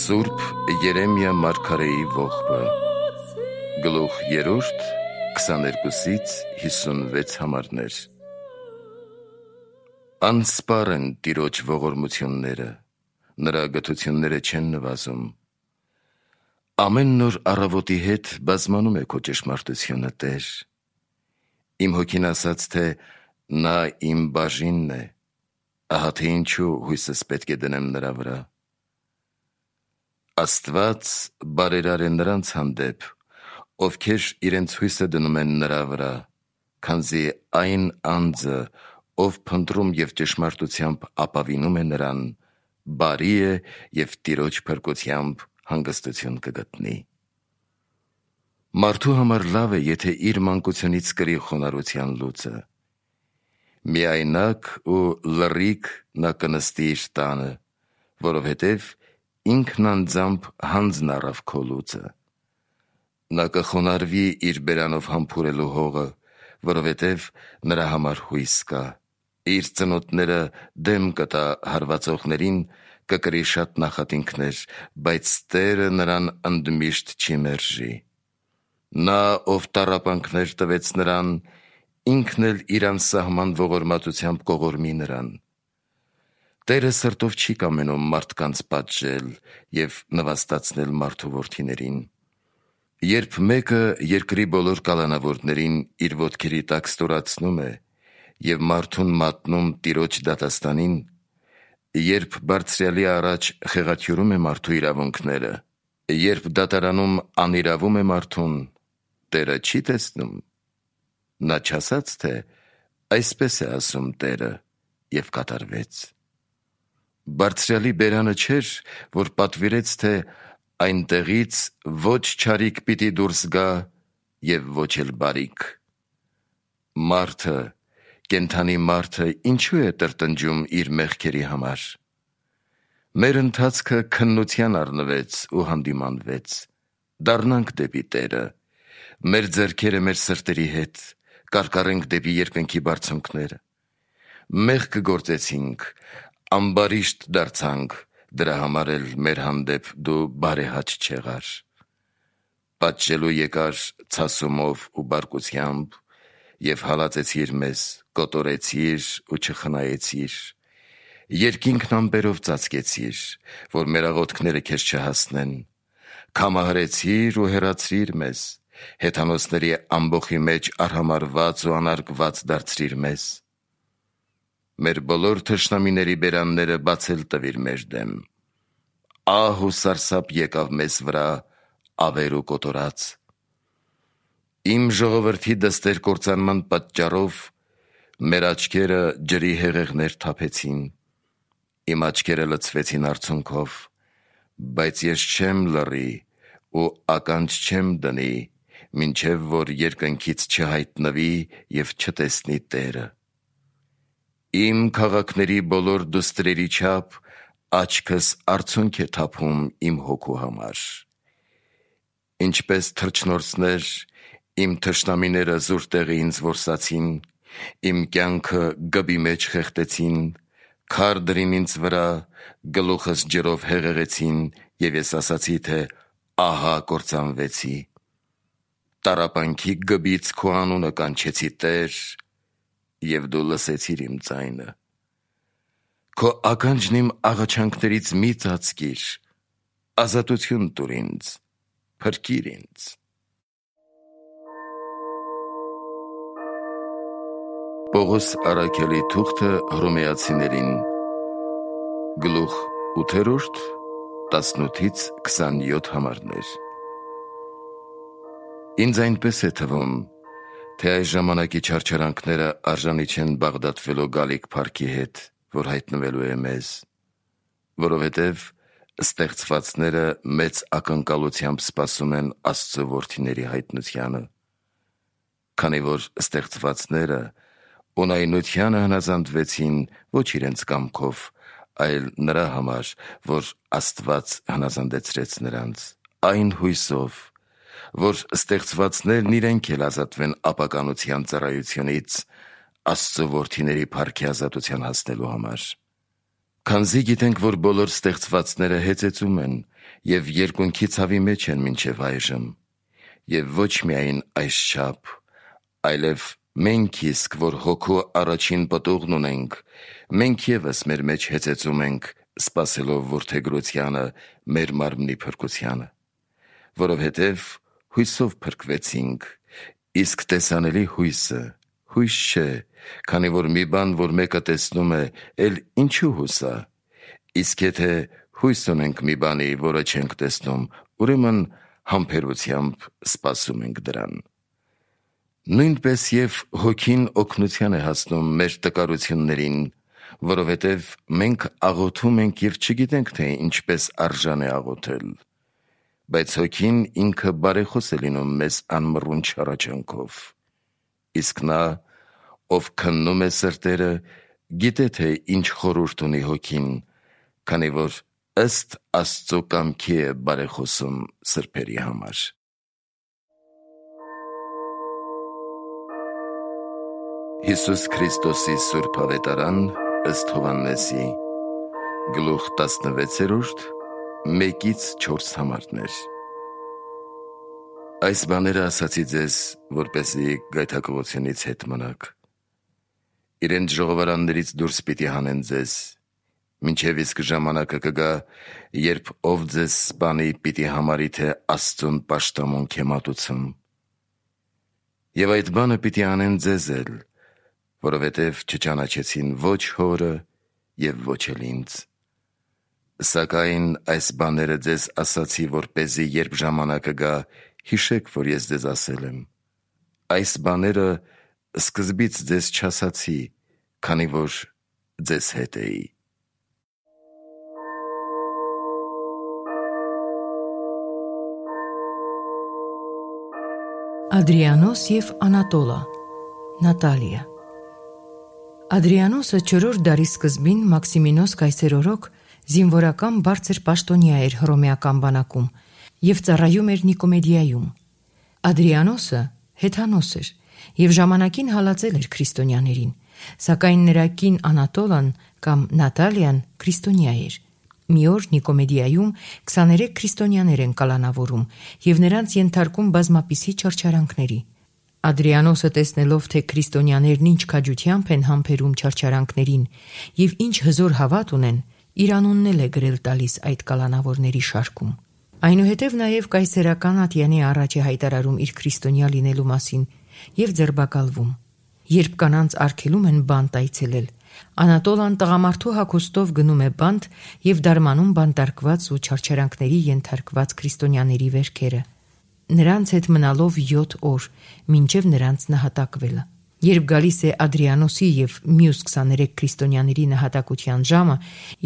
Սուրբ Երեմիա մարգարեի ողբը, գլուխ 3, 22-ից 56 համարներ։ Անսպար են Տիրոջ ողորմությունները, նրա գթությունները չեն նվազում։ Ամեն նոր առավոտի հետ բազմանում է քո ճշմարտությունը, Տեր։ Իմ հոգին ասաց, թե նա իմ բաժինն է, ահա թե ինչու հույսս պետք է դնեմ նրա վրա։ Աստված բարերար է նրանց հանդեպ, ովքեր իրենց հույսը դնում են նրա վրա, քանզի այն անձը, ով փնտրում և ճշմարտությամբ ապավինում է նրան, բարի է և Տիրոջ փրկությամբ հանգստություն կգտնի։ Մարդու համար լավ է, եթե իր մանկությունից կրի խոնարհության լուծը։ Միայնակ ու լռիկ նա կնստի իր տանը, որովհետև ինքն անձամբ հանձն առավ քո լուծը։ Նա կխոնարհվի իր բերանով համբուրելու հողը, որովհետև նրա համար հույս կա։ Իր ծնոտները դեմ կտա հարվածողներին, կկրի շատ նախատինքներ, բայց Տերը նրան ընդմիշտ չի մերժի։ Նա, ով տառապանքներ տվեց նրան, ինքն էլ իր անսահման ողորմածությամբ կողորմի նրան։ Տերը սրտով չի կամենում մարդկանց պատժել և նվաստացնել մարդու որդիներին։ Երբ մեկը երկրի բոլոր կալանավորներին իր ոտքերի տակ ստորացնում է և մարդուն մատնում Տիրոջ դատաստանին, երբ Բարձրյալի առաջ խեղաթյուրում է մարդու իրավունքները, երբ դատարանում անիրավում է մարդուն, Տերը չի տեսնում։ Նա չասաց, թե այսպես է ասում Տերը, և կատարվեց։ Բարձրյալի բերանը չէր, որ պատվիրեց, թե այնտեղից ոչ չարիք պիտի դուրս գա և ոչ էլ բարիք։ Մարդը, կենդանի մարդը ինչու է տրտնջում իր մեղքերի համար։ Մեր ընթացքը քննության առնվեց ու հանդիմանվեց։ Դառնանք դեպի Տերը, մեր ձեռքերը մեր սրտերի հետ, կարկառենք դեպի երկնքի բարձունքները։ Մեղք գործեցինք, ամբարիշտ դարձանք, դրա համար էլ մեր հանդեպ դու բարեհաճ չեղար։ Պատժելու եկար ցասումով ու բարկությամբ և հալածեցիր մեզ, կոտորեցիր ու չխնայեցիր։ Երկինքն ամպերով ծածկեցիր, որ մեր աղոթքները քեզ չհասնեն։ Քամահարեցիր ու հեռացրիր մեզ, հեթանոսների ամբոխի մեջ արհամարհված ու անարգված դարձրիր մեզ։ Մեր բոլոր թշնամիների բերանները բացել տվիր մեր դեմ։ Ահ ու սարսափ եկավ մեզ վրա, ավեր ու կոտորած։ Իմ ժողովրդի դստեր կործանման պատճառով մեր աչքերը ջրի հեղեղներ թափեցին, իմ աչքերը լցվեցին արցունքով, բայց ես չեմ լռի ու ականջ չեմ դնի, մինչև որ երկնքից չհայտնվի և չտեսնի Տերը։ Իմ քաղաքների բոլոր դուստրերի չափ աչքս արցունք է թափում իմ հոգու համար։ Ինչպես թռչնորսներ, իմ թշնամիները զուր տեղը ինձ որսացին, իմ կյանքը գբի մեջ խեղդեցին, քար դրին ինձ վրա, գլուխս ջրով հեղեղեցին, և ես ասացի, թե ահա կործանվեցի։ Տառապանքի գբից քո անունը կանչեցի, Տեր, և դու լսեցիր իմ ձայնը։ Քո ականջն իմ աղաչանքներից մի ծածկիր, ազատություն տուր ինձ, փրկիր ինձ։ Պողոս առաքյալի թուղթը Հռոմեացիներին, գլուխ 8, 18-ից 27 համարներ։ Ինձ այնպես է թվում, թե այս ժամանակի չարչարանքները արժանի չեն բաղդատվելու գալիք փառքի հետ, որ հայտնվելու է մեզ, որովհետև ստեղծվածները մեծ ակնկալությամբ սպասում են Աստծո որդիների հայտնությանը, քանի որ ստեղծվածները ունայնությանը հնազանդվեցին ոչ իրենց կամքով, այլ նրա համար, որ Աստված հնազանդեցրեց նրանց, այն հույսով, որ ստեղծվածներն իրենք էլ ազատվեն ապականության ծառայությունից Աստծո որդիների փառքի ազատության հասնելու համար։ Քանզի գիտենք, որ բոլոր ստեղծվածները հեծեծում են և երկունքի ցավի մեջ են մինչև այժմ, և ոչ միայն այսչափ, այլև մենք իսկ, որ հոգու առաջին պտուղն ունենք, մենք ևս մեր մեջ հեծեծում ենք, սպասելով որդեգրությանը մեր մարմնի փրկությանը, որովհետև հույսով փրկվեցինք, իսկ տեսանելի հույսը հույս չէ, քանի որ մի բան, որ մեկը տեսնում է, էլ ինչու հուսա, իսկ եթե հույս ունենք մի բանի, որը չենք տեսնում, ուրեմն համբերությամբ սպասում ենք դրան։ Նույնպես և հոգին օգնության է հասնում մեր տկարություններին, որովհետև մենք աղոթում ենք և չգիտենք, թե ինչպես արժան է աղոթել, բայց հոգին ինքը բարեխոս է լինում մեզ անմռունչ հառաչանքով, իսկ նա, ով քննում է սրտերը, գիտե, թե ինչ խորհուրդ ունի հոգին, քանի որ ըստ Աստծո կամքի է բարեխոսում սրբերի համար։ Հիսուս Քրիստոսի Սուրբ Ավետարան ըստ Հովհաննեսի, գլուխ 16, 1-4 համարներ։ Այս բաները ասացի ձեզ, որպեսզի գայթակղությունից հետ մնաք։ Իրենց ժողովարաններից դուրս պիտի հանեն ձեզ, մինչև իսկ ժամանակը կգա, երբ ով ձեզ սպանի պիտի համարի, թե Աստծուն պաշտամունք է մատուցում։ Եվ այդ բանը պիտի անեն ձեզ էլ, որովհետև չճանաչեցին ոչ հորը և ոչ էլ ինձ։ Սակայն այս բաները ձեզ ասացի, որպեսզի երբ ժամանակը գա, հիշեք, որ ես ձեզ ասել եմ։ Այս բաները սկզբից ձեզ չասացի, քանի որ ձեզ հետ էի։ Ադրիանոս և Անատոլա, Նատալիա։ Ադրիանոսը 4-րդ դարի սկզբին Մաքսիմինոս կայսերօրոք զինվորական բարձր պաշտոնյա էր հռոմեական բանակում և ծառայում էր Նիկոմեդիայում։ Ադրիանոսը հեթանոս էր և ժամանակին հալածել էր քրիստոնյաներին, սակայն նրա կին Անատոլան կամ Նատալիան քրիստոնյա էր։ Մի օր Նիկոմեդիայում 23 քրիստոնյաներ են կալանավորում և նրանց ենթարկում բազմապիսի չարչարանքների։ Ադրիանոսը տեսնելով, թե քրիստոնյաներն ինչ քաջությամբ են համբերում չարչարանքներին և ինչ հզոր հավատ ունեն, իր անունն էլ է գրել տալիս այդ կալանավորների շարքում։ Այնուհետև նաև կայսերական ատյանի առաջ է հայտարարում իր քրիստոնյա լինելու մասին և ձերբակալվում։ Երբ կանանց արգելում են բանտ այցելել, Անատոլան տղամարդու հագուստով գնում է բանտ և դարմանում բանտարկված ու չարչարանքների ենթարկված քրիստոնյաների վերքերը, նրանց հետ մնալով 7 օր, մինչև նրանց նահատակվելը։ Երբ գալիս է Ադրիանոսի և մյուս 23 քրիստոնյաների նահատակության ժամը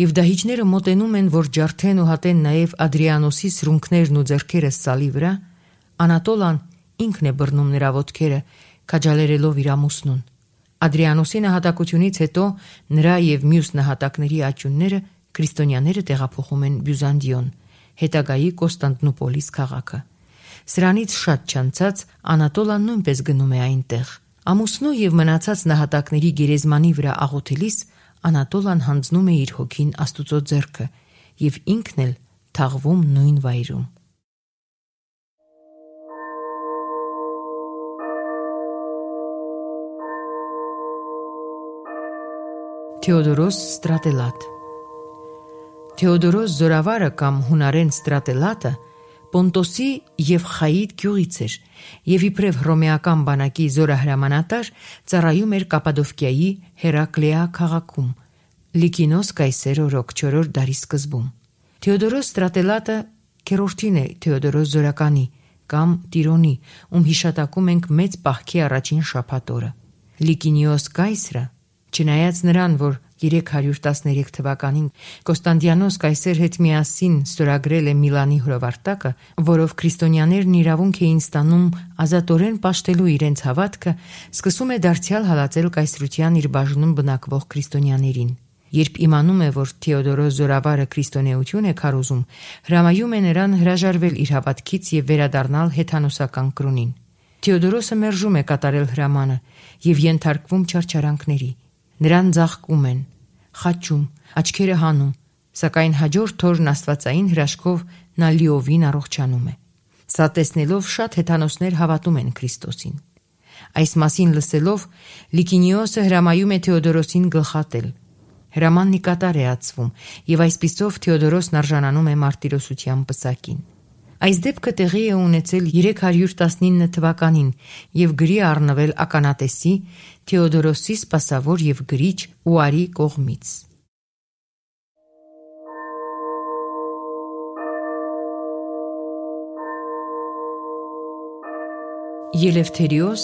և դահիճները մոտենում են, որ ջարդեն ու հատեն նաև Ադրիանոսի սրունքներն ու ձեռքերը սալի վրա, Անատոլան ինքն է բռնում նրա ոտքերը, քաջալերելով իր ամուսնուն։ Ադրիանոսի նահատակությունից հետո նրա և մյուս նահատակների աճյունները քրիստոնյաները տեղափոխում են Բյուզանդիոն, հետագայի Կոստանդնուպոլիս քաղաքը։ Սրանից շատ չանցած Անատոլան նույնպես գնում է այնտեղ։ Ամուսնու և մնացած նահատակների գերեզմանի վրա աղոթելիս Անատոլան հանձնում է իր հոգին Աստուծո ձեռքը և ինքն էլ թաղվում նույն վայրում։ Թեոդորոս Ստրատելատ։ Թեոդորոս Զորավարը կամ հունարեն Ստրատելատը Պոնտոսի և Խայիդ գյուղից էր և իբրև հռոմեական բանակի զորահրամանատար ծառայում էր Կապադովկիայի Հերակլեա քաղաքում, Լիկինոս կայսերօրոք 4-րդ դարի սկզբում։ Թեոդորոս Ստրատելատը քերորդին է Թեոդորոս Զորականի կամ Տիրոնի, ում հիշատակում ենք մեծ պահքի առաջին շաբաթ օրը։ Լիկինիոս կայսրը, չնայած նրան, որ 313 թվականին Կոստանդիանոս կայսեր հետ միասին ստորագրել է Միլանի հրովարտակը, որով քրիստոնյաներն իրավունք էին ստանում ազատորեն պաշտելու իրենց հավատքը, սկսում է դարձյալ հալածել կայսրության իր բաժնում բնակվող քրիստոնյաներին։ Երբ իմանում է, որ Թեոդորոս Զորավարը քրիստոնեություն է քարոզում, հրամայում է նրան հրաժարվել իր հավատքից և վերադառնալ հեթանոսական կրոնին։ Թեոդորոսը մերժում է կատարել հրամանը և ենթարկվում չարչարանքների։ Նրան ձաղկում են, խաչում, աչքերը հանում, Սակայն հաջորդ օրն աստվածային հրաշքով նա լիովին առողջանում է։ Սա տեսնելով շատ հեթանոսներ հավատում են Քրիստոսին։ Այս մասին լսելով Լիկինիոսը հրամայում է Թեոդորոսին գլխատել։ Հրամանն ի կատար է ածվում, եւ այսպիսով Թեոդորոսն արժանանում է մարտիրոսության պսակին։ Այս դեպքը տեղի է ունեցել 319 թվականին եւ գրի առնվել ականատեսի Թեոդորոսի սպասավոր եւ գրիչ Ուարի կողմից։ Ելևթերիոս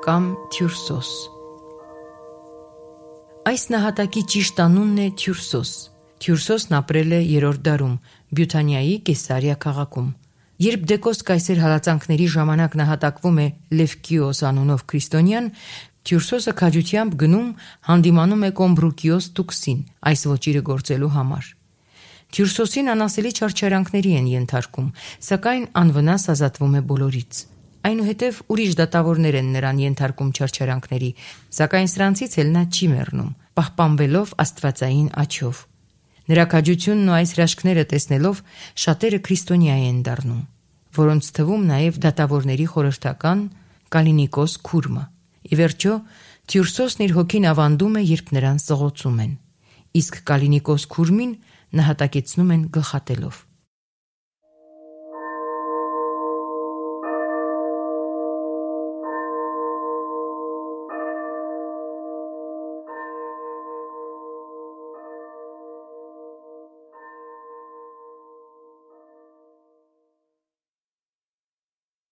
կամ Թյուրսոս։ Այս նահատակի ճիշտ անունն է Թյուրսոս։ Թյուրսոսն ապրել է 3-րդ դարում Բյութանիայի Կեսարիա քաղաքում։ Երբ Դեկոս կայսեր հալածանքների ժամանակ նահատակվում է Լևկիոս անունով քրիստոնյան, Թյուրսոսը քաջությամբ գնում հանդիմանում է Կոմբրուկիոս Տուքսին այս ոճիրը գործելու համար։ Թյուրսոսին անասելի չարչարանքների են ենթարկում, սակայն անվնաս ազատվում է բոլորից։ Այնուհետև ուրիշ դատավորներ են նրան ենթարկում չարչարանքների, սակայն սրանցից էլ նա չի մեռնում, պահպանվելով աստվածային աջով։ Նրա քաջությունն ու այս հրաշքները տեսնելով շատերը քրիստոնյա են դառնում, որոնց թվում նաև դատավորների խորհրդական Կալինիկոս Քուրմը։ Ի վերջո Թյուրսոսն իր հոգին ավանդում է, երբ նրան սղոցում են, իսկ Կալինիկոս Քուրմին նահատակեցնում են գլխատելով։